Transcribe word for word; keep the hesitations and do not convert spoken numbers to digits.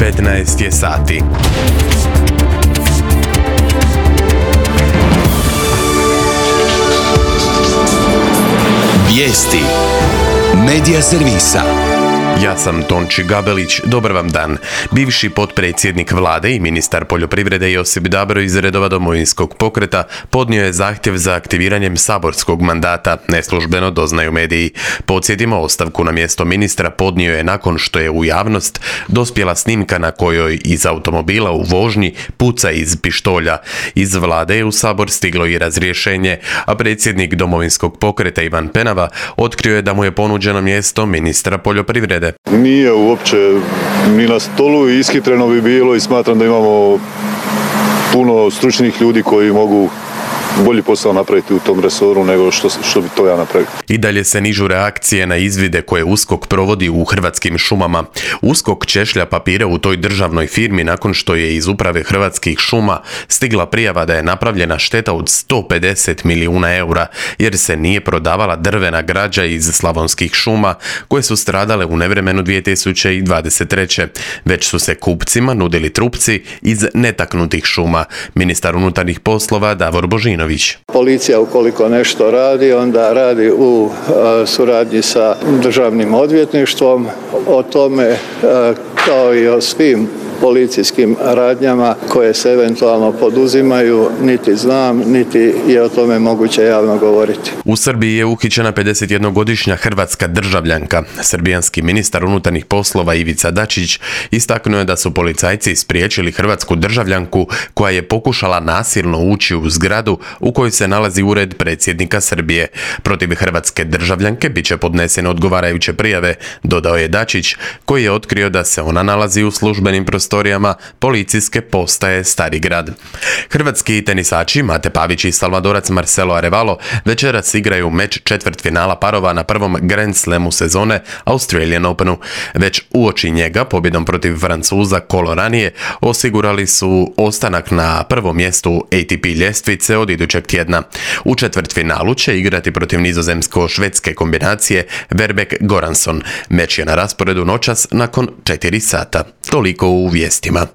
petnaest je sati. Vijesti Medija servisa. Ja sam Tonči Gabelić, dobar vam dan. Bivši potpredsjednik vlade i ministar poljoprivrede Josip Dabro iz redova Domovinskog pokreta podnio je zahtjev za aktiviranjem saborskog mandata, neslužbeno doznaju mediji. Podsjetimo, ostavku na mjesto ministra podnio je nakon što je u javnost dospjela snimka na kojoj iz automobila u vožnji puca iz pištolja. Iz vlade je u sabor stiglo i razrješenje, a predsjednik Domovinskog pokreta Ivan Penava otkrio je da mu je ponuđeno mjesto ministra poljoprivrede. Nije uopće ni na stolu i ishitreno bi bilo i smatram da imamo puno stručnih ljudi koji mogu bolji posao napraviti u tom resoru nego što, što bi to ja napravio. I dalje se nižu reakcije na izvide koje USKOK provodi u Hrvatskim šumama. USKOK češlja papire u toj državnoj firmi nakon što je iz uprave Hrvatskih šuma stigla prijava da je napravljena šteta od sto pedeset milijuna eura jer se nije prodavala drvena građa iz slavonskih šuma koje su stradale u nevremenu dvije tisuće dvadeset treće. Već su se kupcima nudili trupci iz netaknutih šuma. Ministar unutarnjih poslova Davor Božinović. Policija ukoliko nešto radi, onda radi u a, suradnji sa državnim odvjetništvom. O tome a, kao i o svim policijskim radnjama koje se eventualno poduzimaju, niti znam, niti je o tome moguće javno govoriti. U Srbiji je uhićena pedesetjednogodišnja hrvatska državljanka. Srbijanski ministar unutarnjih poslova Ivica Dačić istaknuo je da su policajci spriječili hrvatsku državljanku koja je pokušala nasilno ući u zgradu u kojoj se nalazi ured predsjednika Srbije. Protiv hrvatske državljanke bit će podnesene odgovarajuće prijave, dodao je Dačić, koji je otkrio da se ona nalazi u službenim prostorijama policijske postaje Stari grad. Hrvatski tenisači Mate Pavić i Salvadorac Marcelo Arevalo večeras igraju meč četvrtfinala parova na prvom Grand Slamu sezone Australian Openu. Već uoči njega, pobjedom protiv Francuza kolo ranije, osigurali su ostanak na prvom mjestu A T P ljestvice od idućeg tjedna. U četvrtfinalu će igrati protiv nizozemsko-švedske kombinacije Verbeek-Goranson. Meč je na rasporedu noćas nakon četiri sata. Toliko u vijestima.